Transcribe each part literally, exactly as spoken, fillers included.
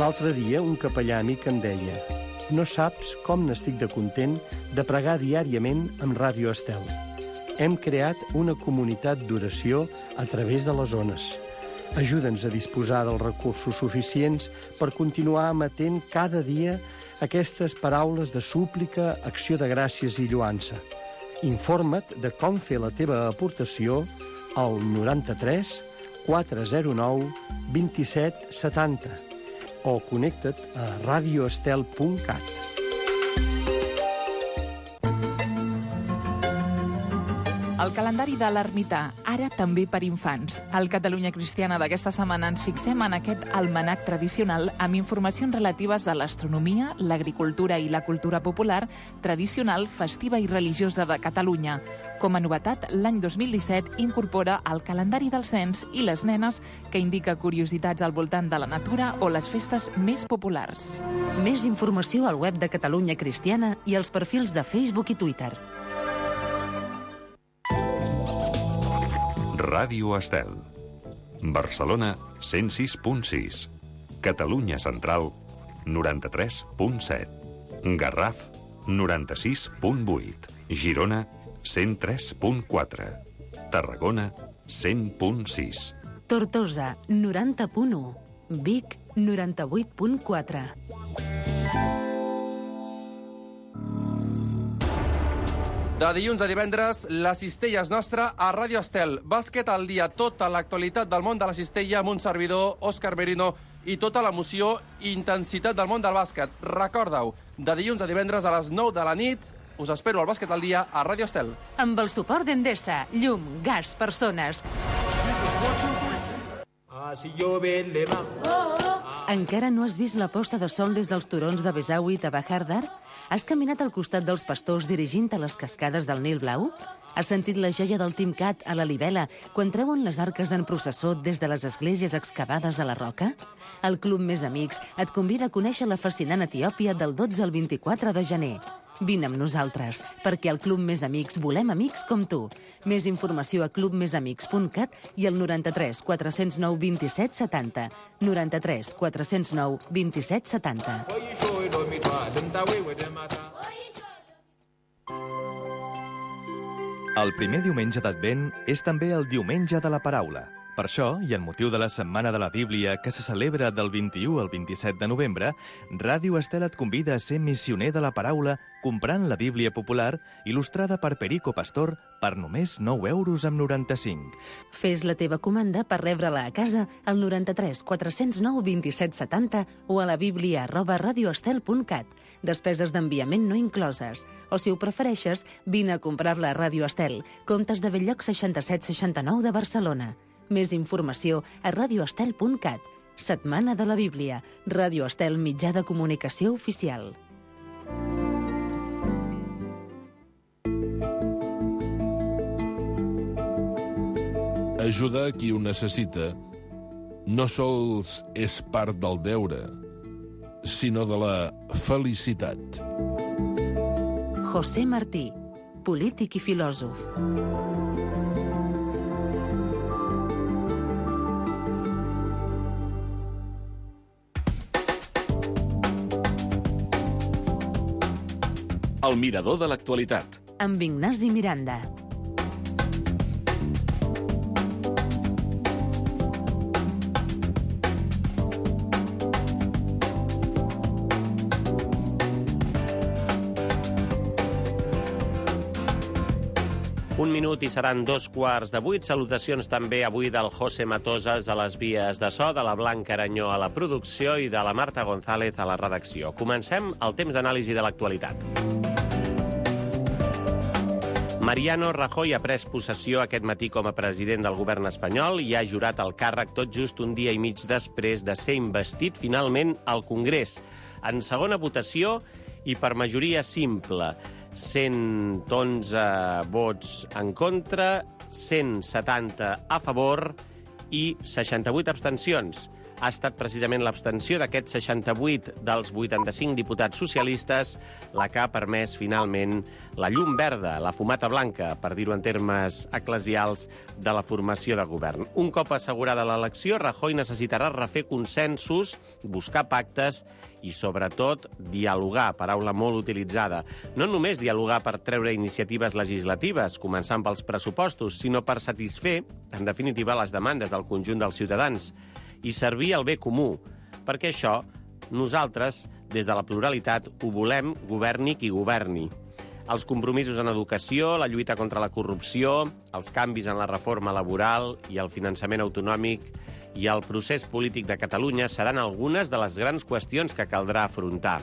L'altre dia un capellà amic em deia: no saps com n'estic de content de pregar diàriament amb Ràdio Estel. Hem creat una comunitat d'oració a través de les ones. Ajuda'ns a disposar dels recursos suficients per continuar emetent cada dia aquestes paraules de súplica, acció de gràcies i lloança. Informa't de com fer la teva aportació al noranta-tres quatre zero nou vint-i-set setanta o connecta't a radioestel punt cat. El calendari de l'ermità, ara també per infants. Al Catalunya Cristiana d'aquesta setmana ens fixem en aquest almanac tradicional amb informacions relatives a l'astronomia, l'agricultura i la cultura popular tradicional, festiva i religiosa de Catalunya. Com a novetat, l'any dos mil disset incorpora el calendari del cens i les nenes, que indica curiositats al voltant de la natura o les festes més populars. Més informació al web de Catalunya Cristiana i als perfils de Facebook i Twitter. Ràdio Estel. Barcelona, cent sis punt sis. Catalunya Central, noranta-tres punt set. Garraf, noranta-sis punt vuit. Girona, cent tres punt quatre. Tarragona, cent punt sis. Tortosa, noranta punt u. Vic, noranta-vuit punt quatre. De dilluns a divendres, la cistella és nostra a Ràdio Estel. Bàsquet al dia, tota l'actualitat del món de la cistella amb un servidor, Òscar Merino, i tota l'emoció i intensitat del món del bàsquet. Recorda-ho, de dilluns a divendres a les nou de la nit, us espero al Bàsquet al dia a Ràdio Estel. Amb el suport d'Endesa, llum, gas, persones. Encara no has vist la posta de sol des dels turons de Besawi i Bahardar? Has caminat al costat dels pastors dirigint a les cascades del Nil Blau? Has sentit la joia del Timcat a la Libela quan treuen les arques en processó des de les esglésies excavades a la roca? El Club Més Amics et convida a conèixer la fascinant Etiòpia del dotze al vint-i-quatre de gener. Vine amb nosaltres, perquè al Club Més Amics volem amics com tu. Més informació a club més amics punt cat i al noranta-tres quatre zero nou vint-i-set setanta. noranta-tres quatre zero nou vint-i-set setanta. El primer diumenge d'Advent és també el diumenge de la paraula. Per això, i en motiu de la Setmana de la Bíblia, que se celebra del vint-i-u al vint-i-set de novembre, Ràdio Estel et convida a ser missioner de la paraula comprant la Bíblia popular il·lustrada per Perico Pastor per només nou euros amb noranta-cinc. Fes la teva comanda per rebre-la a casa al noranta-tres quatre zero nou vint-i-set setanta o a la bíblia arroba radioestel punt cat. Despeses d'enviament no incloses. O, si ho prefereixes, vine a comprar-la a Ràdio Estel, Comtes de Belllloc seixanta-set seixanta-nou de Barcelona. Més informació a radioestel punt cat. Setmana de la Bíblia. Ràdio Estel, mitjà de comunicació oficial. Ajudar qui ho necessita no sols és part del deure, sinó de la felicitat. José Martí, polític i filòsof. El mirador de l'actualitat. Amb Ignasi Miranda. Un minut i seran dos quarts de vuit. Salutacions també avui del José Matosas a les vies de so, de la Blanca Aranyó a la producció i de la Marta González a la redacció. Comencem el temps d'anàlisi de l'actualitat. Mariano Rajoy ha pres possessió aquest matí com a president del govern espanyol i ha jurat el càrrec tot just un dia i mig després de ser investit finalment al Congrés. En segona votació i per majoria simple, cent onze vots en contra, cent setanta a favor i seixanta-vuit abstencions. ha estat precisament l'abstenció d'aquests seixanta-vuit dels vuitanta-cinc diputats socialistes la que ha permès finalment la llum verda, la fumata blanca, per dir-ho en termes eclesials, de la formació de govern. Un cop assegurada l'elecció, Rajoy necessitarà refer consensos, buscar pactes i, sobretot, dialogar, paraula molt utilitzada. No només dialogar per treure iniciatives legislatives, començant pels pressupostos, sinó per satisfer, en definitiva, les demandes del conjunt dels ciutadans i servir el bé comú, perquè això nosaltres, des de la pluralitat, ho volem, governi qui governi. Els compromisos en educació, la lluita contra la corrupció, els canvis en la reforma laboral i el finançament autonòmic i el procés polític de Catalunya seran algunes de les grans qüestions que caldrà afrontar.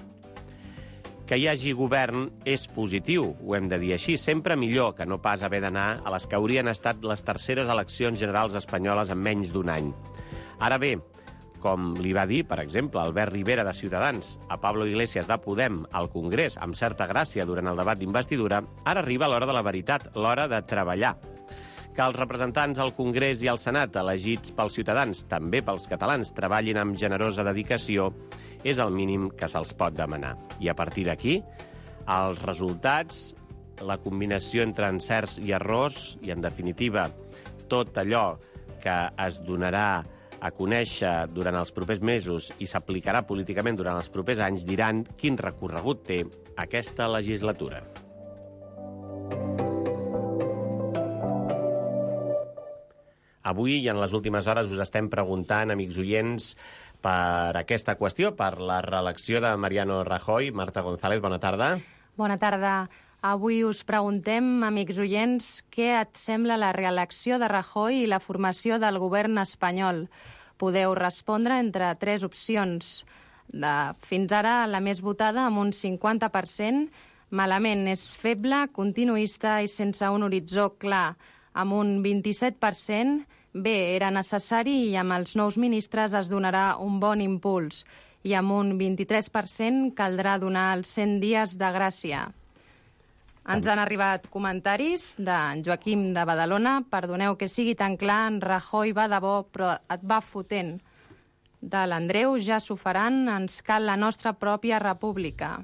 Que hi hagi govern és positiu, ho hem de dir així, sempre millor que no pas haver d'anar a les que haurien estat les terceres eleccions generals espanyoles en menys d'un any. Ara bé, com li va dir, per exemple, Albert Rivera de Ciutadans a Pablo Iglesias de Podem al Congrés, amb certa gràcia durant el debat d'investidura, ara arriba l'hora de la veritat, l'hora de treballar. Que els representants al Congrés i al Senat, elegits pels ciutadans, també pels catalans, treballin amb generosa dedicació, és el mínim que se'ls pot demanar. I a partir d'aquí, els resultats, la combinació entre encerts i errors, i, en definitiva, tot allò que es donarà a conèixer durant els propers mesos i s'aplicarà políticament durant els propers anys, diran quin recorregut té aquesta legislatura. Avui i en les últimes hores us estem preguntant, amics oients, per aquesta qüestió, per la reelecció de Mariano Rajoy. Marta González, bona tarda. Bona tarda. Avui us preguntem, amics oients, què et sembla la reelecció de Rajoy i la formació del govern espanyol. Podeu respondre entre tres opcions. De, fins ara, la més votada, amb un cinquanta per cent, malament, és feble, continuista i sense un horitzó clar. Amb un vint-i-set per cent, bé, era necessari i amb els nous ministres es donarà un bon impuls. I amb un vint-i-tres per cent caldrà donar els cent dies de gràcia. Ens han arribat comentaris d'en Joaquim de Badalona. Perdoneu que sigui tan clar, en Rajoy va de bo, però et va fotent. De l'Andreu, ja s'ho faran, ens cal la nostra pròpia república.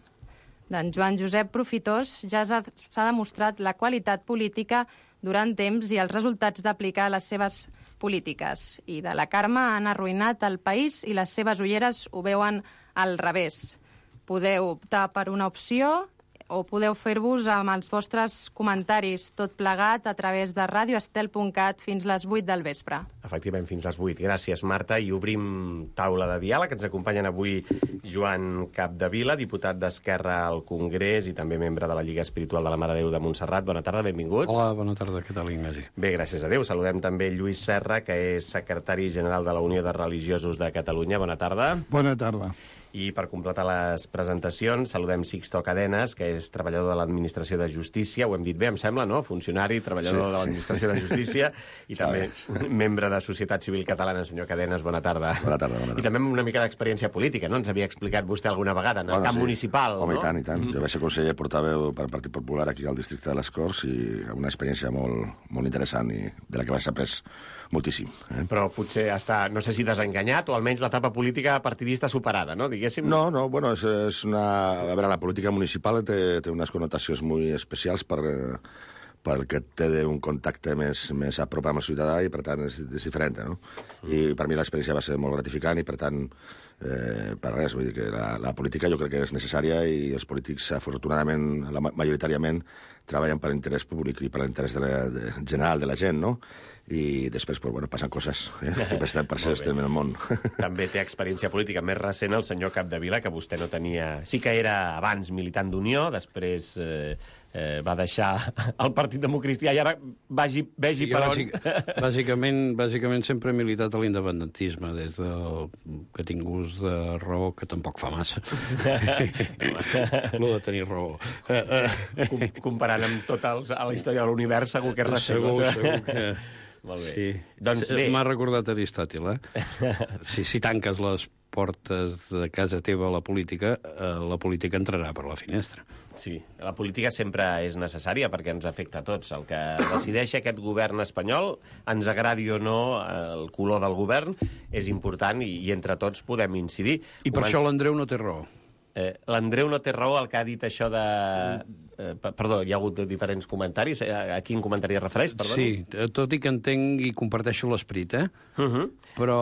D'en Joan Josep Profitós, ja s'ha demostrat la qualitat política durant temps i els resultats d'aplicar les seves polítiques. I de la Carme han arruïnat el país i les seves ulleres ho veuen al revés. Podeu optar per una opció o podeu fer-vos amb els vostres comentaris, tot plegat a través de radio estel punt cat fins les vuit del vespre. Efectivament, fins les vuit. Gràcies, Marta. I obrim taula de diàleg. Ens acompanyen avui Joan Capdevila, diputat d'Esquerra al Congrés i també membre de la Lliga Espiritual de la Mare de Déu de Montserrat. Bona tarda, benvingut. Hola, bona tarda. Què tal, Ignasi? Bé, gràcies a Déu. Saludem també Lluís Serra, que és secretari general de la Unió de Religiosos de Catalunya. Bona tarda. Bona tarda. I per completar les presentacions, saludem Sixto Cadenes, que és treballador de l'Administració de Justícia, ho hem dit bé, em sembla, no? Funcionari, treballador sí, de l'Administració sí. de Justícia, i sí, també sí. membre de Societat Civil Catalana. Senyor Cadenes, bona tarda. Bona tarda, bona tarda. I també una mica d'experiència política, no? Ens havia explicat vostè alguna vegada, en el bueno, camp sí. municipal, Home, no? i tant, i tant. Mm-hmm. Jo vaig ser conseller portaveu per Partit Popular aquí al districte de les Corts i una experiència molt, molt interessant i de la que vaig après moltíssim. Eh? Però potser està, no sé si desenganyat o almenys l'etapa política partidista superada, no? Diguéssim. No, no, bueno, és, és una... A veure, la política municipal té, té unes connotacions molt especials per, perquè té un contacte més, més a prop amb el ciutadà i, per tant, és, és diferent, no? Mm. I per mi l'experiència va ser molt gratificant i, per tant, eh, per res, vull dir que la, la política jo crec que és necessària i els polítics, afortunadament, la, majoritàriament, treballen per l'interès públic i per l'interès de la, de, general de la gent, no? I després, pues, bueno, passen coses, eh? Per, per ser estem en el món. També té experiència política més recent el senyor Capdevila, que vostè no tenia... Sí que era abans militant d'Unió, després eh, eh, va deixar el Partit Democristià i ara vagi, vegi sí, per on... Bàsic, bàsicament, bàsicament sempre he militat a l'independentisme, des del que tinc gust de raó, que tampoc fa massa. No de tenir raó. Com, comparant amb tota la història de l'univers, segur que és recent. Segur, segur que... Molt bé. Sí. Doncs bé. M'ha recordat Aristòtil, eh? Si, si tanques les portes de casa teva a la política, eh, la política entrarà per la finestra. Sí, la política sempre és necessària perquè ens afecta a tots. El que decideix aquest govern espanyol, ens agradi o no el color del govern, és important i, i entre tots podem incidir. I per Ho això l'Andreu no té raó. Eh, L'Andreu no té raó, el que ha dit això de... Eh, perdó, hi ha hagut diferents comentaris. A quin comentari es refereix? Perdó? Sí, tot i que entenc i comparteixo l'esperit, eh? Uh -huh. Però...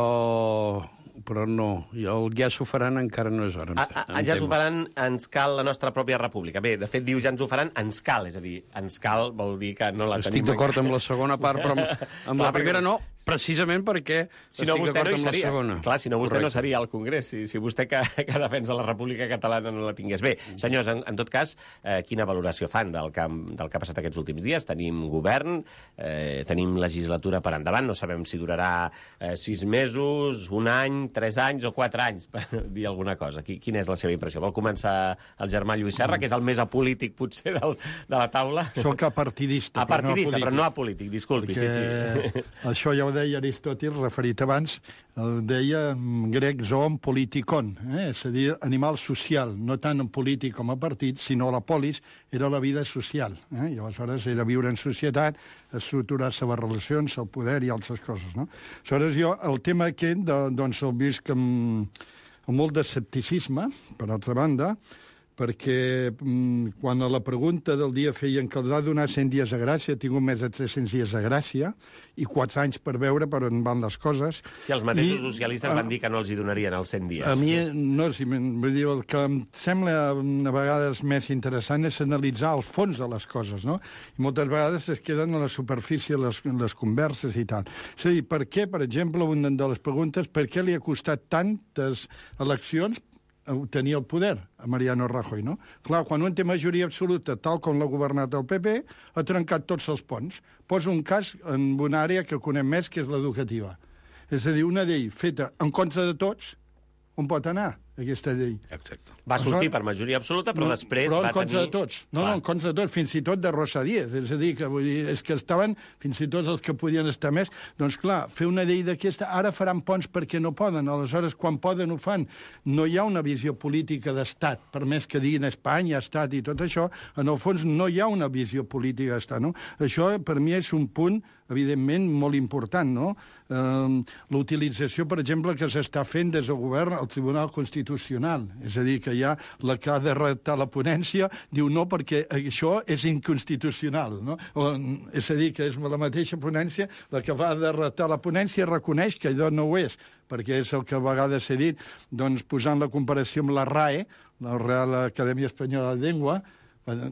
però no, el ja s'ho faran encara no és hora. A, a, ja s'ho faran, ens cal la nostra pròpia república. Bé, de fet, diu ja ens ho faran, ens cal, és a dir, ens cal vol dir que no la Estic tenim... Estic d'acord amb la segona part, però amb, amb la primera no, precisament perquè si no, estic d'acord no amb seria. la segona. Clar, si no, vostè Correcte. no seria al Congrés, si, si vostè que, que defensa la República Catalana no la tingués. Bé, senyors, en, en tot cas, eh, quina valoració fan del que, del que ha passat aquests últims dies? Tenim govern, eh, tenim legislatura per endavant, no sabem si durarà eh, sis mesos, un any, tres anys o quatre anys, per dir alguna cosa. Quina és la seva impressió? Vol començar el germà Lluís Serra, que és el més apolític, potser, del, de la taula? Soc apartidista, apartidista, però no apolític. Però no apolític, disculpi. Sí, sí. Això ja ho deia Aristòtil, referit abans, el deia en grec zoon politikon, eh? és a dir, animal social, no tant en polític com a partit, sinó la polis era la vida social. Eh? I aleshores era viure en societat, estructurar-se les relacions, el poder i altres coses. No? Aleshores jo, el tema aquest, de, doncs el visc amb, amb molt d'escepticisme, per altra banda, perquè mm, quan a la pregunta del dia feien que els ha donat cent dies de gràcia, ha tingut més de tres-cents dies de gràcia, i quatre anys per veure per on van les coses. Sí, els mateixos I, socialistes van dir que no els hi donarien els cent dies. A mi, no, si, vull dir, el que em sembla a vegades més interessant és analitzar el fons de les coses, no? I moltes vegades es queden a la superfície les, les converses i tal. És a dir, per què, per exemple, una de les preguntes, per què li ha costat tantes eleccions obtenir el poder a Mariano Rajoy, no? Clar, quan un té majoria absoluta, tal com l'ha governat el P P, ha trencat tots els ponts. Poso un cas en una àrea que conem més, que és l'educativa. És a dir, una llei feta en contra de tots, on pot anar aquesta llei? Exacte. Va sortir per majoria absoluta, però no, després però va en contra tenir... de tots. No, Clar. no, en contra de tots, fins i tot de Rosa Díez. És a dir, que, vull dir, és que estaven fins i tot els que podien estar més. Doncs clar, fer una llei d'aquesta, ara faran ponts perquè no poden, aleshores quan poden ho fan. No hi ha una visió política d'estat, per més que diguin Espanya, estat i tot això, en el fons no hi ha una visió política d'estat, no? Això per mi és un punt evidentment molt important, no? Eh, l'utilització, per exemple, que s'està fent des del govern al Tribunal Constitucional. És a dir, que hi ha la que ha de redactar la ponència, diu no perquè això és inconstitucional, no? O, és a dir, que és la mateixa ponència, la que va de redactar la ponència reconeix que allò no ho és, perquè és el que a vegades he dit, doncs posant la comparació amb la RAE, la Real Acadèmia Espanyola de Llengua,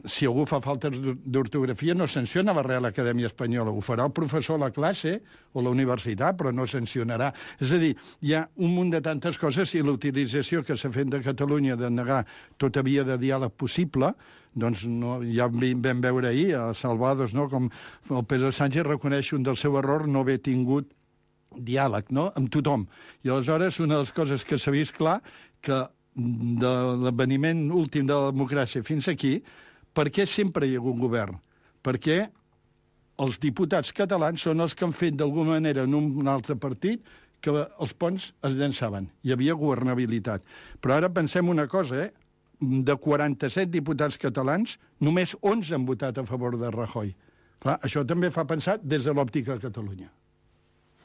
si algú fa falta d'ortografia no sanciona la Real Acadèmia Espanyola, ho farà el professor a la classe o la universitat, però no sancionarà. És a dir, hi ha un munt de tantes coses i l'utilització que s'ha fet de Catalunya de negar tota via de diàleg possible, doncs no, ja vam veure ahir a Salvados, no, com el Pedro Sánchez reconeix un del seu error no haver tingut diàleg, no?, amb tothom. I aleshores una de les coses que s'ha vist clar que de l'esveniment últim de la democràcia fins aquí, per què sempre hi ha hagut govern? Perquè els diputats catalans són els que han fet d'alguna manera en un altre partit que els ponts es llançaven. Hi havia governabilitat. Però ara pensem una cosa, eh? De quaranta-set diputats catalans, només onze han votat a favor de Rajoy. Clar, això també fa pensar des de l'òptica de Catalunya.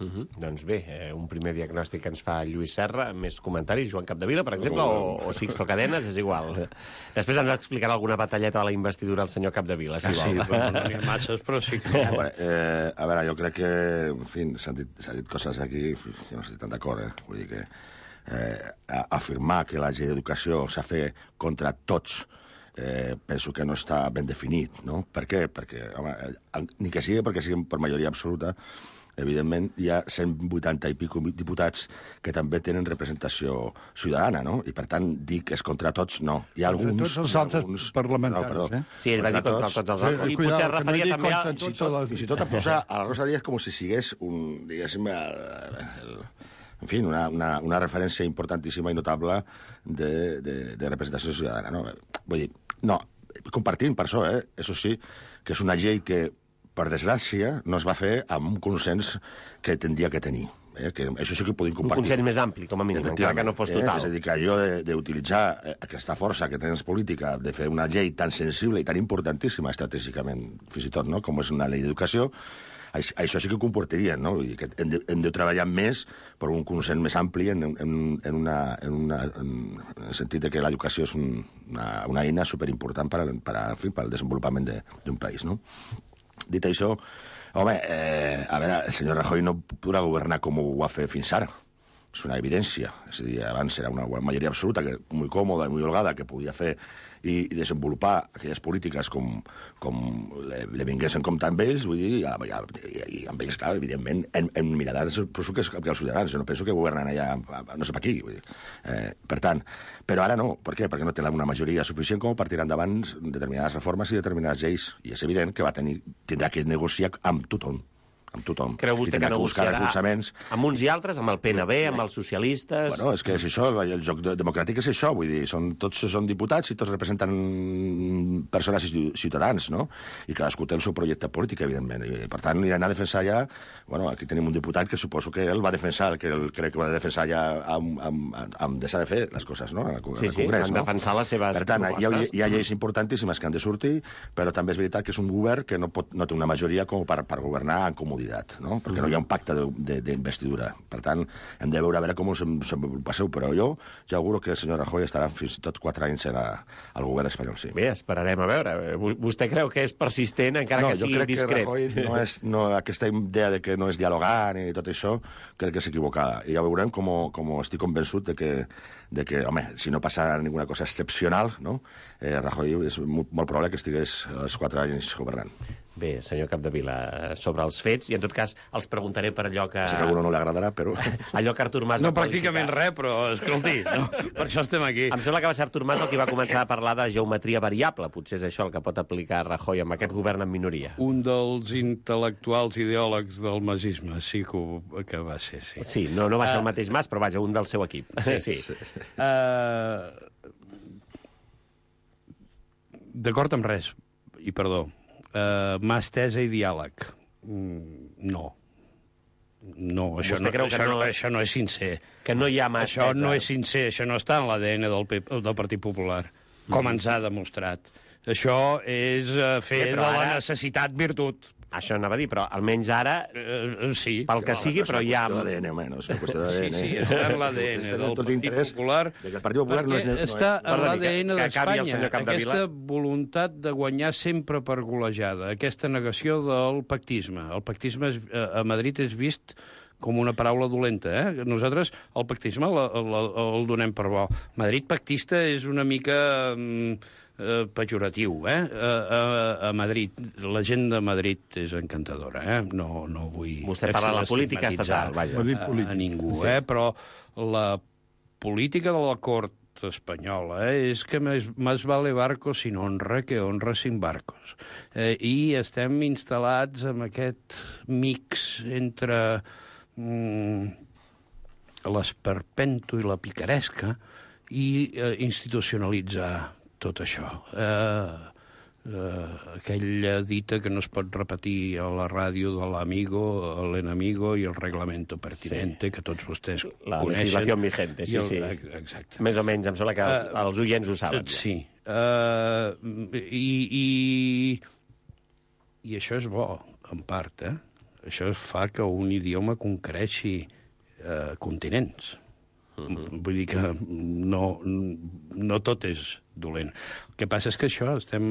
Uh -huh. Doncs bé, eh, un primer diagnòstic que ens fa Lluís Serra, més comentaris, Joan Capdevila, per exemple, o, o Sixto Cadenas, és igual. Després ens explicarà alguna batalleta de la investidura al senyor Capdevila, si ah, vol. Sí, però no n'hi ha masses, però sí que... Eh, eh, a veure, jo crec que, en fi, s'han dit, dit coses aquí, jo no estic tan d'acord, eh? Vull dir que eh, afirmar que la llei d'educació s'ha fet contra tots Eh, penso que no està ben definit, no? Per què? Perquè, home, ni que sigui perquè siguin per majoria absoluta, evidentment hi ha cent vuitanta i pico diputats que també tenen representació ciutadana, no? I per tant, dir que és contra tots, no. Hi ha alguns... Contra tots els altres alguns... parlamentaris, no, eh? Sí, ell va dir contra tots, tots els altres. I potser es referia no també a... Fins i tot, fins i tot a posar a la Rosa Díez com si sigués un, diguéssim, el, el, en fi, una, una, una referència importantíssima i notable de, de, de representació ciutadana, no? Vull dir, no, compartim per això, eh? Això sí, que és una llei que, per desgràcia, no es va fer amb un consens que tindria que tenir. Eh, que això sí que ho podem Un compartir. consens més ampli, com a mínim, encara que no fos Eh, total. és a dir, que allò de- d'utilitzar eh, aquesta força que tens política, de fer una llei tan sensible i tan importantíssima estratègicament, fins i tot, no?, com és una llei d'educació, això, això sí que ho comportaria, no? Vull dir que hem de, hem de treballar més per un consens més ampli en, en, en, una, en, una, en el sentit de que l'educació és un, una, una eina superimportant per, per, en fi, per al desenvolupament d'un país, no? Dit això, home, eh, a veure, el senyor Rajoy no podrà governar com ho va fer fins ara. És una evidència. És a dir, abans era una majoria absoluta, que, molt còmoda i molt holgada, que podia fer i, i desenvolupar aquelles polítiques com, com le, le vingués en compte amb ells, vull dir, i, i, i amb ells, clar, evidentment, en, en mirades, suposo que, que els ciutadans. Jo no penso que governen allà, no sé per aquí. Vull dir. Eh, per tant, però ara no. Per què? Perquè no té una majoria suficient com per tirar endavant determinades reformes i determinades lleis. I és evident que va tenir, tindrà que negociar amb tothom. amb tothom. Creu vostè que negociarà amb uns i altres, amb el P N B, amb els socialistes... Bueno, és que és això, el joc democràtic és això, vull dir, són, tots són diputats i tots representen persones i ciutadans, no? I cadascú té el seu projecte polític, evidentment. I, per tant, aniran a defensar ja... Bueno, aquí tenim un diputat que suposo que ell va defensar, que ell crec que va defensar ja amb, amb, amb deixar de fer les coses, no? Al, sí, sí, Congrés, han no? defensat les seves per tant, propostes. hi ha, hi ha lleis importantíssimes que han de sortir, però també és veritat que és un govern que no, pot, no té una majoria com per, per governar en comoditat, no? Perquè mm. no hi ha un pacte d'investidura. Per tant, hem de veure a veure com us passeu, però jo ja auguro que el senyor Rajoy estarà fins i tot quatre anys a la, al govern espanyol, sí. Bé, esperarem a veure. Vostè creu que és persistent, encara no, que sigui discret? No, jo crec que Rajoy no és, no, aquesta idea de que no és dialogar ni tot això, crec que és equivocada. I ja veurem com, com estic convençut de que, de que, home, si no passa ninguna cosa excepcional, no? eh, Rajoy és molt, molt probable que estigués els quatre anys governant. Bé, senyor Capdevila, sobre els fets, i en tot cas els preguntaré per allò que... Sí que a algú no li agradarà, però... allò que Artur Mas... No, pràcticament res, però, escolti, no? Per això estem aquí. Em sembla que va ser Artur Mas el que va començar a parlar de geometria variable. Potser és això el que pot aplicar Rajoy amb aquest govern en minoria. Un dels intel·lectuals ideòlegs del masisme, sí que, ho, que va ser, sí. Sí, no, no va ser el mateix Mas, però vaja, un del seu equip. Sí, sí. sí. Uh, D'acord amb res, i perdó, Uh, mà estesa i diàleg. Mm, no. No, això no, creu això, que no, això no és sincer. Que no hi ha mà Això estesa. no és sincer, això no està en l'A D N del, del Partit Popular, com mm. ens ha demostrat. Això és uh, fer sí, de la ara... necessitat virtut. Això anava a dir, però almenys ara, uh, sí. pel que sigui, però hi ha... És una qüestió d'A D N, home, no és una qüestió d'A D N. Sí, sí, està en l'A D N del Partit Popular. El Partit Popular no és... No està en l'A D N d'Espanya, aquesta voluntat de guanyar sempre per golejada, aquesta negació del pactisme. El pactisme és, a Madrid és vist com una paraula dolenta, eh? Nosaltres el pactisme el, el, el donem per bo. Madrid pactista és una mica... Mm, Uh, pejoratiu, eh? Uh, uh, a Madrid. La gent de Madrid és encantadora, eh? No, no vull... Vostè parla de la política estatal, vaja. A, a ningú, sí. eh? Però la política de la cort espanyola eh? és que més, més vale barco sin honra que honra sin barcos. Eh, I estem instal·lats en aquest mix entre mm, l'esperpento i la picaresca i eh, institucionalitzar tot això. Eh, eh, aquella dita que no es pot repetir a la ràdio de l'amigo, l'enemigo i el reglamento pertinente, sí. que tots vostès la coneixen. La legislació vigente, sí, el, sí. Exacte. Més o menys, em sembla que els, uh, els oients ho saben. Uh, sí. Uh, i, i, I això és bo, en part, eh? Això fa que un idioma concreixi uh, continents. Uh-huh. Vull dir que no, no tot és dolent. El que passa és que això, estem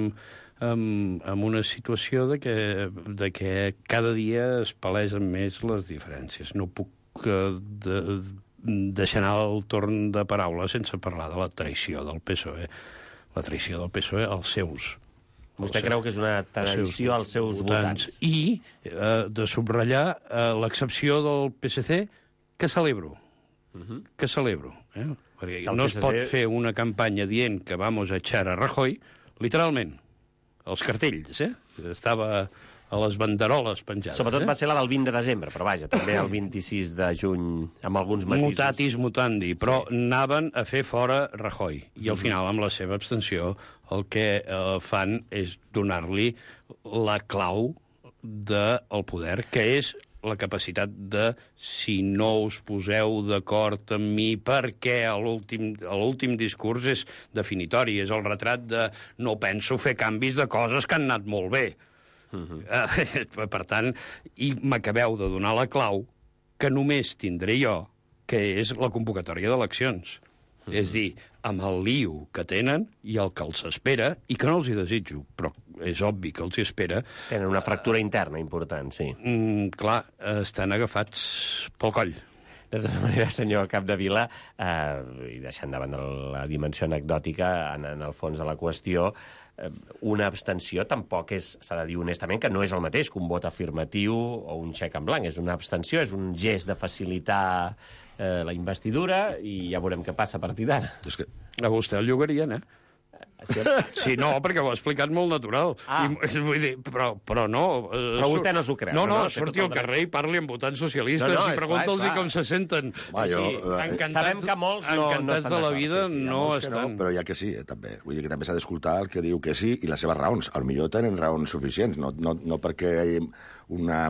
en, en una situació de que, de que cada dia es palesen més les diferències. No puc uh, de, deixar anar el torn de paraula sense parlar de la traïció del P S O E. La traïció del P S O E als seus. Vostè creu que és una traïció als seus votants? I uh, de subratllar uh, l'excepció del P S C, que celebro. Uh-huh. Que celebro, eh? Perquè no es pot fer una campanya dient que vamos a echar a Rajoy, literalment, els cartells, eh? Estava a les banderoles penjades. Sobretot eh? va ser la del vint de desembre, però vaja, també el vint-i-sis de juny, amb alguns matisos. Mutatis mutandi, però sí. Anaven a fer fora Rajoy, i al final, amb la seva abstenció, el que eh, fan és donar-li la clau del poder, que és la capacitat de, si no us poseu d'acord amb mi, perquè a l'últim a l'últim discurs és definitori, és el retrat de no penso fer canvis de coses que han anat molt bé. Uh-huh. Uh, per tant, i m'acabeu de donar la clau que només tindré jo, que és la convocatòria d'eleccions. Uh-huh. És dir, amb el lío que tenen i el que els espera, i que no els hi desitjo, però és obvi que els hi espera... Tenen una fractura interna important, sí. Mm, clar, estan agafats pel coll. De tota manera, senyor Capdevila, eh, i deixant davant de la dimensió anecdòtica, en, en el fons de la qüestió, eh, una abstenció tampoc és, s'ha de dir honestament, que no és el mateix que un vot afirmatiu o un xec en blanc. És una abstenció, és un gest de facilitar eh, la investidura i ja veurem què passa a partir d'ara. És que a vostè el llogarien, eh? Sí, no, perquè ho ha explicat molt natural. Ah. I, vull dir, però, però no... Eh, però vostè no s'ho creu. No, no, no, no surti al carrer i parli amb votants socialistes no, no, i pregunta'ls com se senten. Va, jo, sí, encantats, sabem que molts no, encantats no de la això, vida sí, sí, no No, estan... però hi ha que sí, eh, també. Vull dir que també s'ha d'escoltar el que diu que sí i les seves raons. Al millor tenen raons suficients, no, no, no perquè hi hagi una,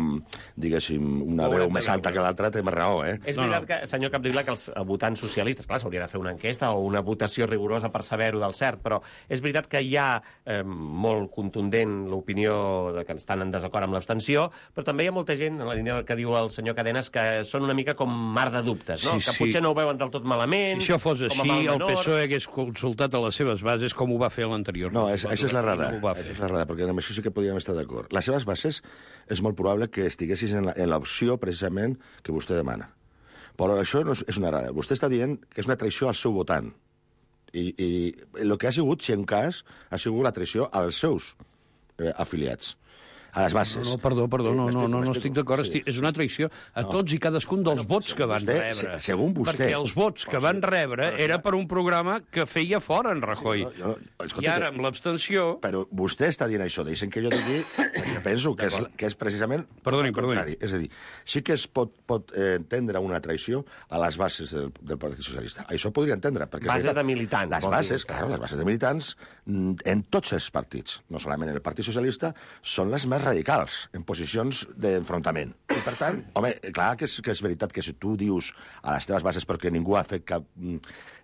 diguéssim, una no veu més alta que l'altra té més raó, eh? És no, veritat no. que, senyor Capdevila, que els votants socialistes, clar, s'hauria de fer una enquesta o una votació rigorosa per saber-ho del cert, però és veritat que hi ha eh, molt contundent l'opinió de que estan en desacord amb l'abstenció, però també hi ha molta gent, en la línia del que diu el senyor Cadenes, que són una mica com mar de dubtes, no? Sí, que sí. potser no ho veuen del tot malament... Si això fos així, el P S O E hagués consultat a les seves bases com ho va fer l'anterior. No, és, això és la rada, no això és la rada, perquè amb això sí que podríem estar d'acord. Les seves bases és molt probable que estiguessis en l'opció, precisament, que vostè demana. Però això no és, és una rada. Vostè està dient que és una traïció al seu votant. I, i el que ha sigut, si en cas, ha sigut la traïció als seus eh, afiliats. A les bases. No, no, perdó, perdó, no, no, no, no estic d'acord. Sí. És una traïció a no. tots i cadascun dels no, vots que van vostè, rebre. Se, segons vostè... Perquè els vots que van rebre era per un programa que feia fora en Rajoy. Sí, no, no, escolta, I ara, amb l'abstenció... Però vostè està dient això, deixen que jo digui, perquè penso que és, que és precisament... Perdoni, perdoni. És a dir, sí que es pot, pot eh, entendre una traïció a les bases del, del Partit Socialista. Això podria entendre. Perquè bases de militants. Les bases, clar, les bases de militants, en tots els partits, no solament en el Partit Socialista, són les més radicals, en posicions d'enfrontament. I, per tant, home, clar que és, que és veritat que si tu dius a les teves bases, perquè ningú ha fet cap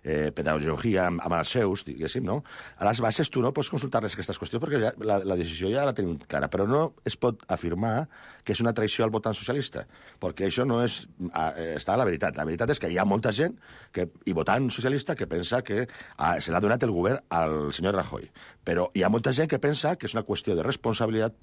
eh, pedagogia amb, amb els seus, diguéssim, no? A les bases tu no pots consultar-les aquestes qüestions perquè ja, la, la decisió ja la tenim clara, però no es pot afirmar que és una traïció al votant socialista, perquè això no és... Eh, està a la veritat. La veritat és que hi ha molta gent que, i votant socialista que pensa que ah, se l'ha donat el govern al senyor Rajoy. Però hi ha molta gent que pensa que és una qüestió de responsabilitat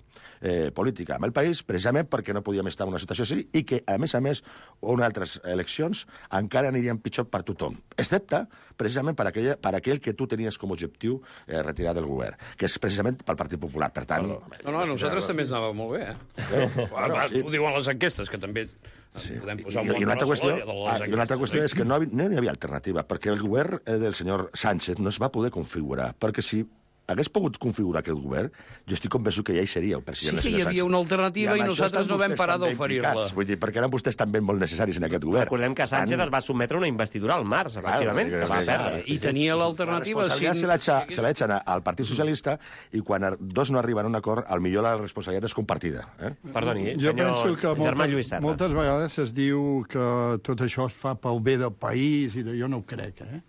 eh, política amb el país, precisament perquè no podíem estar en una situació així i que, a més a més, unes altres eleccions encara anirien pitjor per tothom, excepte precisament per aquell, per aquell que tu tenies com a objectiu eh, retirar del govern, que és precisament pel Partit Popular. Per tant... No, no, no nosaltres també ens anava molt bé, eh? eh? Bueno, sí. Ho diuen les enquestes, que també... Sí. I, i, una altra qüestió, ah, i una altra qüestió és que no, no hi havia alternativa, perquè el govern eh, del senyor Sánchez no es va poder configurar, perquè si hagués pogut configurar aquest govern, jo estic convençut que ja hi seria el president. Sí que hi havia una alternativa i, i nosaltres no vam parar d'oferir-la. Vull dir, perquè eren vostès també molt necessaris en aquest govern. Recordem que Sánchez es va sotmetre a una investidura al març, efectivament, que va perdre. I tenia l'alternativa... La responsabilitat se l'ha eixat al Partit Socialista i quan dos no arriben a un acord, al millor la responsabilitat és compartida. Eh? Perdoni, jo penso que Germà Lluís Serra. Moltes vegades es diu que tot això es fa pel bé del país i jo no ho crec. Eh?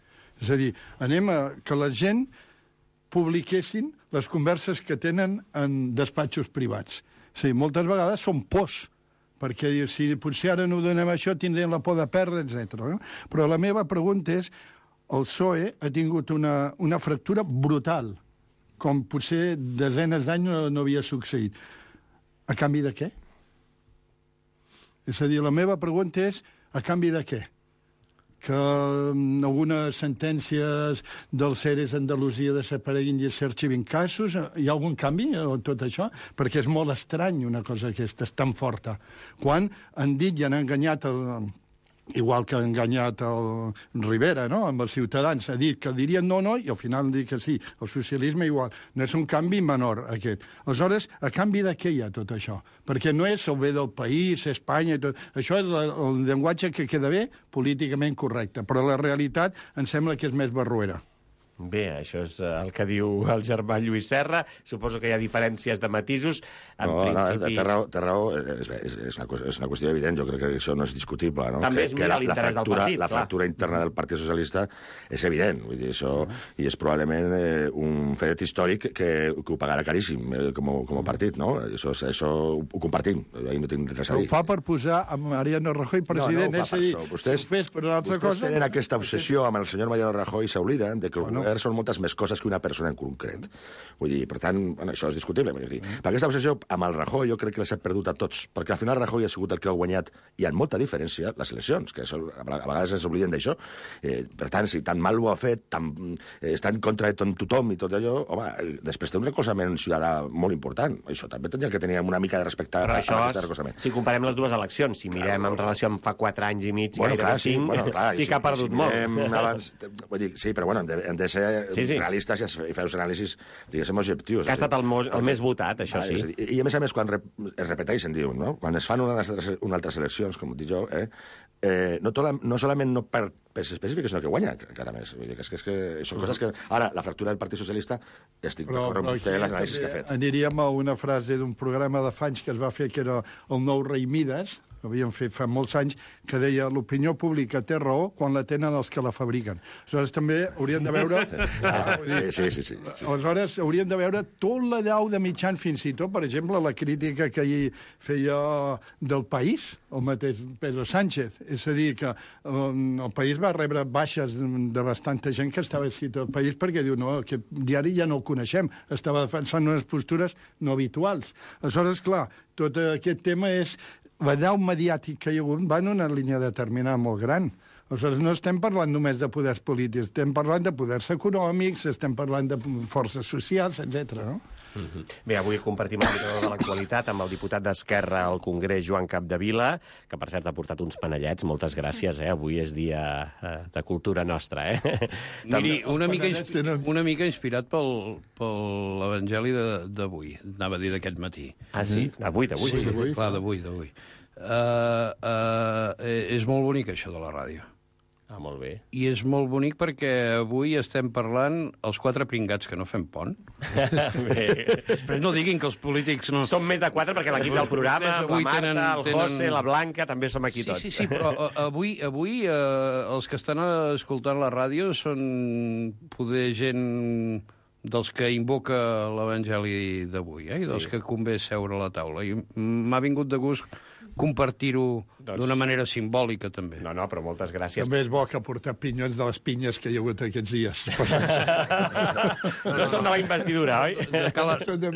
És a dir, anem a que la gent publiquessin les converses que tenen en despatxos privats. Sí, moltes vegades són pors, perquè si potser ara no donem això tindrem la por de perdre, etcètera. No? Però la meva pregunta és, el P S O E ha tingut una, una fractura brutal, com potser desenes d'anys no, no havia succeït. A canvi de què? És a dir, la meva pregunta és, a canvi de què? Que algunes sentències del Ceres Andalusia desapareguin i s'arxivin casos? Hi ha algun canvi en tot això? Perquè és molt estrany una cosa aquesta, és tan forta. Quan han dit i han enganyat el... igual que ha enganyat el Rivera, no?, amb els ciutadans, ha dit que dirien no, no, i al final han dit que sí. El socialisme igual. No és un canvi menor, aquest. Aleshores, a canvi de què hi ha tot això? Perquè no és el bé del país, Espanya i tot. Això és el llenguatge que queda bé, políticament correcte, però la realitat em sembla que és més barruera. Bé, això és el que diu el germà Lluís Serra. Suposo que hi ha diferències de matisos. En no, principi... no, té raó, té raó. És, és, és, una, és una qüestió evident, jo crec que això no és discutible. No? També que, és mirar l'interès del partit. La fractura interna del Partit Socialista és evident, vull dir, això, i és probablement eh, un fet històric que, que ho pagarà caríssim eh, com, com a partit, no? Això, això ho compartim, ahir no tinc res a dir. Ho fa per posar a Mariano Rajoy president, no, no, és a dir, vostès, fes per una altra vostès cosa... tenen aquesta obsessió amb el senyor Mariano Rajoy i s'obliden de que el bueno. govern són moltes més coses que una persona en concret. Vull dir, per tant, bueno, això és discutible. Vull dir. Per aquesta obsessió amb el Rajoy jo crec que les ha perdut a tots, perquè al final Rajoy ha sigut el que ha guanyat, i amb molta diferència, les eleccions, que això, a vegades ens obliden d'això. Eh, per tant, si tan mal ho ha fet, tan, eh, està en contra de tothom i tot allò, home, després té un recolzament ciutadà molt important. Això també tindria que tenir una mica de respecte Però a, això, a aquest recolzament. Si comparem les dues eleccions, si mirem en relació amb fa quatre anys i mig, bueno, gairebé clar, sí, cinc, bueno, clar, sí que ha perdut si molt. Abans, vull dir, sí, però bueno, hem de, hem de ser sí, sí. realistes i fer els anàlisis, diguéssim, objectius. Que ha estat el, mo el més votat, això sí. I, I a més a més, quan rep es repeteixen, diu, no? Quan es fan unes altres, unes altres eleccions, com dic jo, eh, eh, no, tola, no solament no per pes específic, sinó que guanya, encara més. Vull dir, que és, que és que són coses que... Ara, la fractura del Partit Socialista, estic d'acord amb vostè en l'anàlisi que ha fet. Aniríem a una frase d'un programa de fa anys que es va fer, que era el nou rei Mides, que havíem fet fa molts anys, que deia l'opinió pública té raó quan la tenen els que la fabriquen. Aleshores, també hauríem de veure... ah, dir, sí, sí, sí, sí, sí. Aleshores, hauríem de veure tot l'allau de mitjan, fins i tot, per exemple, la crítica que ahir feia del País, el mateix Pedro Sánchez. És a dir, que um, el País va rebre baixes de bastanta gent que estava escrit al País perquè diu, no, aquest diari ja no el coneixem, estava defensant unes postures no habituals. Aleshores, clar, tot aquest tema és... L'allau mediàtic que hi ha hagut va en una línia determinada molt gran. Aleshores, no estem parlant només de poders polítics, estem parlant de poders econòmics, estem parlant de forces socials, etcètera, no? Mm-hmm. Bé, avui compartim el micro de l'actualitat amb el diputat d'Esquerra al Congrés, Joan Capdevila, que per cert ha portat uns panellets. Moltes gràcies, eh? Avui és dia eh, de cultura nostra, eh? Miri, una mica, una mica inspirat pel, pel Evangeli d'avui, anava a dir d'aquest matí. Ah, sí? D'avui, d'avui. Sí, d'avui, clar, d'avui, d'avui. Uh, uh, és molt bonic, això de la ràdio. Ah, molt bé. I és molt bonic perquè avui estem parlant els quatre pringats que no fem pont. Bé. Després no diguin que els polítics no... Som més de quatre perquè l'equip del programa, la Marta, tenen, el José, tenen... la Blanca, també som aquí sí, tots. Sí, sí, però avui, avui eh, els que estan escoltant la ràdio són poder gent dels que invoca l'Evangeli d'avui, eh? I dels sí. que convé seure a la taula. I m'ha vingut de gust compartir-ho doncs... d'una manera simbòlica, també. No, no, però moltes gràcies. També és bo que portar pinyons de les pinyes que hi ha hagut aquests dies. No són de la investidura, oi? De Cal...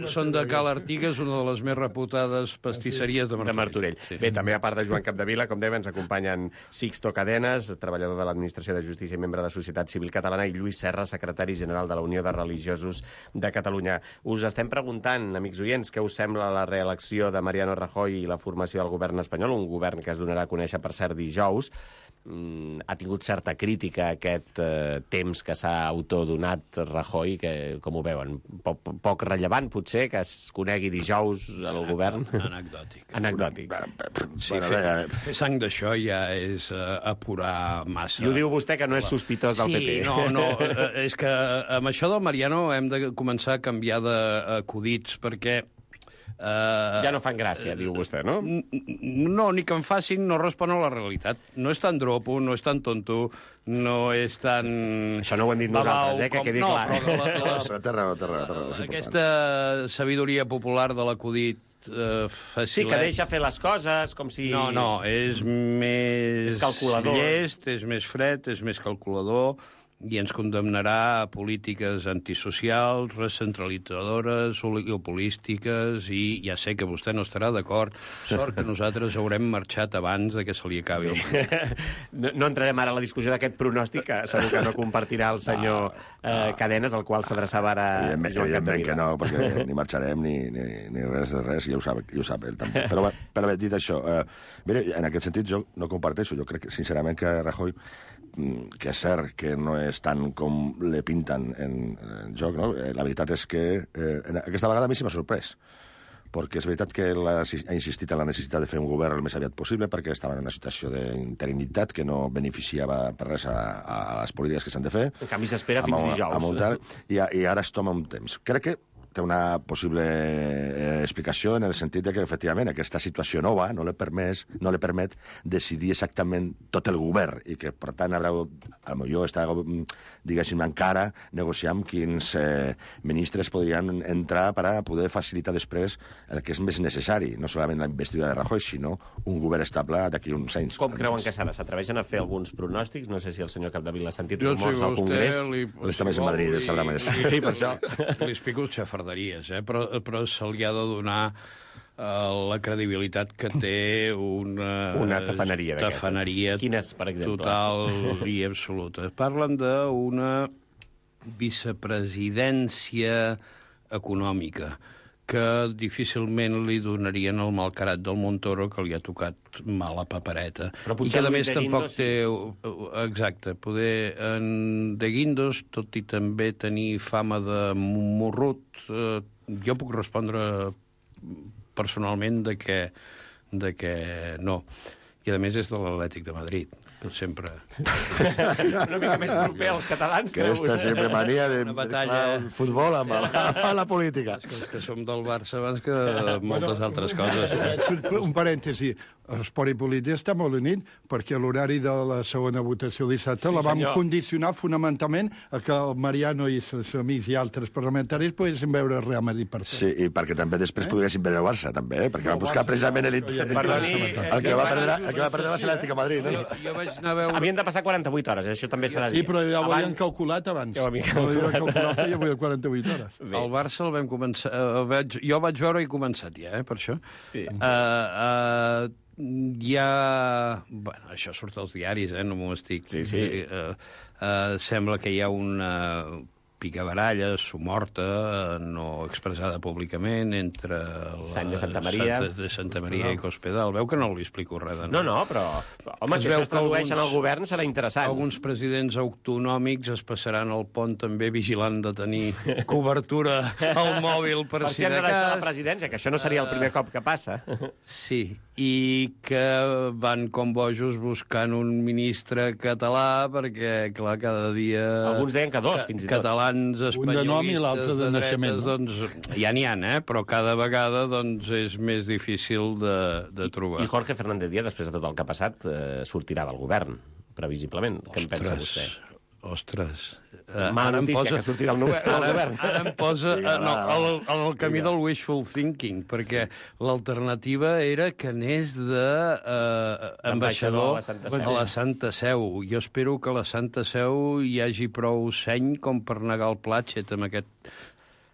Són de Cal Artigas, una de les més reputades pastisseries de Martorell. De Martorell. Sí. Bé, també a part de Joan Capdevila, com dèiem, ens acompanyen Sixto Cadenes, treballador de l'Administració de Justícia i membre de Societat Civil Catalana, i Lluís Serra, secretari general de la Unió de Religiosos de Catalunya. Us estem preguntant, amics oients, què us sembla la reelecció de Mariano Rajoy i la formació del govern espanyol, un govern que es donarà a conèixer, per cert, dijous. Mm, ha tingut certa crítica aquest eh, temps que s'ha autodonat Rajoy, que, com ho veuen, poc, poc rellevant, potser, que es conegui dijous el govern? Anecdòtic. Anecdòtic. Sí, fer, fer sang d'això ja és uh, apurar massa. I ho diu vostè, que no és sospitós del sí, P P. Sí, no, no, és que amb això del Mariano hem de començar a canviar d'acudits, perquè Uh, ja no fan gràcia, diu vostè, no? No, ni que en facin, no respon a la realitat. No és tan dropo, no és tan tonto, no és tan... Això no ho hem dit nosaltres, eh, que quedi no, clar. Però la, la, la, té raó, té raó, té raó, aquesta sabidoria popular de l'acudit uh, facilet... Sí, que deixa fer les coses, com si... No, no, és més... És calculador. Llest, és més fred, és més calculador, i ens condemnarà a polítiques antisocials, recentralitzadores, oligopolístiques, i ja sé que vostè no estarà d'acord. Sort que nosaltres haurem marxat abans de que se li acabi el no, no entrarem ara a la discussió d'aquest pronòstic, que segur que no compartirà el senyor no, no. Eh, Cadenes, al qual s'adreçava ara evidentment, Joan evidentment que no, perquè no. ni marxarem ni, ni, ni res de res, i ja ho sap, ja ho sap ell també. Però, però bé, dit això, eh, mire, en aquest sentit jo no comparteixo. Jo crec, sincerament, que Rajoy, que és cert que no és tant com le pinten en, en joc, no? La veritat és que eh, aquesta vegada a mi sí m'ha sorprès. perquè és veritat que la, ha insistit en la necessitat de fer un govern el més aviat possible, perquè estava en una situació d'interinitat que no beneficiava per res a, a les polítiques que s'han de fer. En canvi, s'espera fins dijous. I, I ara es toma un temps. Crec que té una possible eh, explicació en el sentit de que, efectivament, aquesta situació nova no li permet, no li permet decidir exactament tot el govern i que, per tant, haurà, potser està, diguéssim, encara negociar amb quins eh, ministres podrien entrar per a poder facilitar després el que és més necessari, no solament la investidura de Rajoy, sinó un govern estable d'aquí uns anys. Com creuen que serà? S'atreveixen a fer alguns pronòstics? No sé si el senyor Capdevila ha sentit rumors al Congrés. Li, està més a Madrid, sabrà més. Sí, per això. Li explico el xafarderies, eh? però, però se li ha de donar uh, la credibilitat que té una... Una tafaneria d'aquesta. Tafaneria. Quines, per exemple? Total i absoluta. Parlen d'una vicepresidència econòmica que difícilment li donarien el malcarat del Montoro, que li ha tocat mala papereta. I que, a més, tampoc té... Exacte, poder en De Guindos, tot i també tenir fama de morrut, eh, jo puc respondre personalment de que, de que no. I, a més, és de l'Atlètic de Madrid. Sempre. Una mica més proper als catalans. Que aquesta sempre mania de el futbol amb la, amb la política. És que som del Barça abans que moltes altres coses. Un parèntesi. Esport i política està molt unit perquè l'horari de la segona votació dissabte sí, la vam senyor. condicionar fonamentalment a que el Mariano i els amics i altres parlamentaris poguessin veure el Real Madrid per Sí, i perquè també després eh? poguessin veure el Barça, també, eh? perquè va buscar precisament el, el, el, el que va perdre, el que va perdre va ser l'Atlètic de Madrid. No? Jo vaig anar a veure... Havien de passar quaranta-vuit hores, això també s'ha de dir. Sí, però ja ho havien calculat abans. Ja ho havien calculat feia quaranta-vuit hores. Bé. El Barça el vam començar... El vaig, jo vaig veure i començat ja, eh, per això. Sí. Uh, uh, hi ha... Bueno, això surt als diaris, eh? No m'ho estic... Sí, sí. Uh, uh, sembla que hi ha una picabaralla, somorta, no expressada públicament, entre la Sant de Santa Maria, Sant de Santa Maria i Cospedal. Veu que no li explico res de no. No, no, però... Home, es si això es tradueix en el govern serà interessant. Alguns presidents autonòmics es passaran el pont també vigilant de tenir cobertura al mòbil per, per si de cas. Per si la presidència, que això no seria el primer cop que passa. Sí, i que van com bojos buscant un ministre català perquè, clar, cada dia... Alguns deien que dos, fins i tot. Catalans espanyolistes un de nom i l'altre de, de naixement. Doncs, ja n'hi ha, eh? Però cada vegada doncs, és més difícil de, de trobar. I Jorge Fernández Díaz, després de tot el que ha passat, eh, sortirà del govern, previsiblement. Què en pensa vostè? Ostres. Uh, Mala notícia, posa... que surti del govern. Ara em posa en el, en el camí del wishful thinking, perquè l'alternativa era que anés d'ambaixador uh, a, a la Santa Seu. Jo espero que a la Santa Seu hi hagi prou seny com per negar el Platxet amb aquest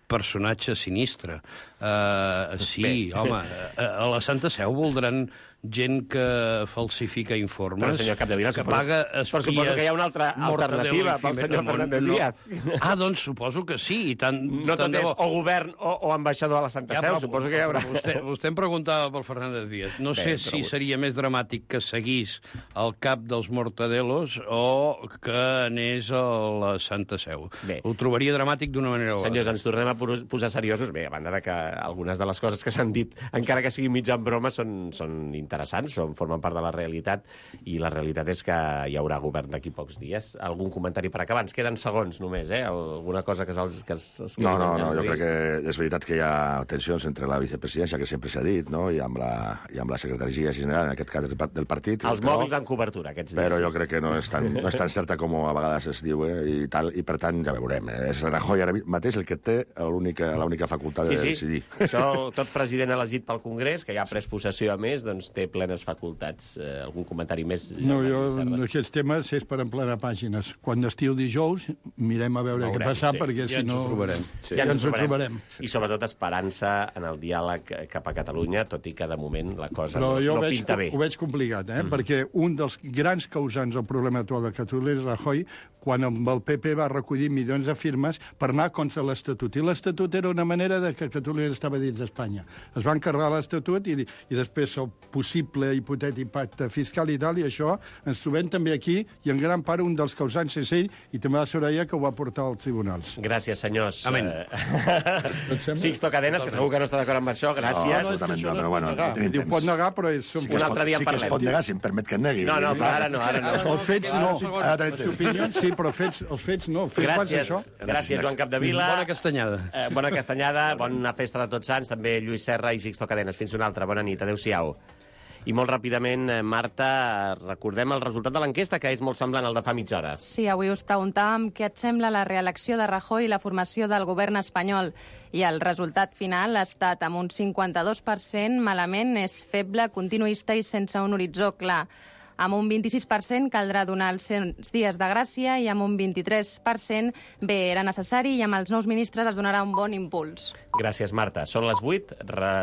personatge sinistre. Uh, sí, Bé. home, a la Santa Seu voldran gent que falsifica informes, però, senyor Capdevila, que paga espies... Però suposo que hi ha una altra alternativa pel senyor Fernández Díaz. No. Ah, doncs suposo que sí. I tant, no tant tot és o govern o, o ambaixador a la Santa ja, Seu, però, suposo que hi haurà... Vostè, vostè em preguntava pel Fernández Díaz. No Bé, sé si però... seria més dramàtic que seguís al cap dels Mortadelos o que anés a la Santa Seu. Bé. Ho trobaria dramàtic d'una manera o altra. Senyors, ens tornem a posar seriosos. Bé, a banda de que algunes de les coses que s'han dit, encara que siguin mitja en broma, són, són interessants, són, formen part de la realitat, i la realitat és que hi haurà govern d'aquí pocs dies. Algun comentari per acabar? Ens queden segons només, eh? Alguna cosa que es... Que es, es no, no, no, jo crec que és veritat que hi ha tensions entre la vicepresidència, que sempre s'ha dit, no? I amb la, i amb la secretaria general, en aquest cas del partit. Els però, mòbils en cobertura, aquests dies. Però jo crec que no és tan, no és tan certa com a vegades es diu, eh? I, tal, i per tant ja veurem. Eh? És Rajoy ara mateix el que té l'única facultat sí, de sí. decidir. Això, tot president elegit pel Congrés, que ja ha pres possessió a més, doncs té plenes facultats. Eh, algun comentari més? No, jo, aquests temes és per emplenar pàgines. Quan estiu dijous, mirem a veure què passa, sí. perquè ja si no... Ens ho trobarem. Sí. Ja, ja ens ho trobarem. I sobretot esperança en el diàleg cap a Catalunya, tot i que de moment la cosa Però no, no veig, pinta bé. Ho veig complicat, eh? Mm. perquè un dels grans causants del problema actual de Catalunya és Rajoy, quan amb el P P va recollir milions de firmes per anar contra l'Estatut. I l'Estatut era una manera de que Catalunya estava dins d'Espanya. Es van carregar l'Estatut i, i després el possible hipotètic pacte fiscal i tal, i això ens trobem també aquí, i en gran part un dels causants és ell, i també la Soraya, que ho va portar als tribunals. Gràcies, senyors. Amén. Sixto Cadenas, que segur que no està d'acord amb això, gràcies. No, absolutament no, però bueno, no tenim Diu, pot temps. negar, però és... Un altre dia en Sí que es parlem. pot negar, si em permet que en negui. No, no, però ara no, ara no. Els fets no. Ara tenim Les temps. opinions sí, però fets, els fets no. Fets quants, Gràcies, això? gràcies, Joan Capdevila. Bona castanyada. Eh, bona castanyada, bona festa de Tots Sants, també Lluís Serra i Sixto Cadenas. Fins una altra, bona nit, adéu-siau. I molt ràpidament, eh, Marta, recordem el resultat de l'enquesta, que és molt semblant al de fa mitja hora. Sí, avui us preguntàvem què et sembla la reelecció de Rajoy i la formació del govern espanyol. I el resultat final ha estat amb un cinquanta-dos per cent, malament, és feble, continuista i sense un horitzó clar. Amb un vint-i-sis per cent caldrà donar els cent dies de gràcia i amb un vint-i-tres per cent bé, era necessari i amb els nous ministres es donarà un bon impuls. Gràcies, Marta. Són les vuit.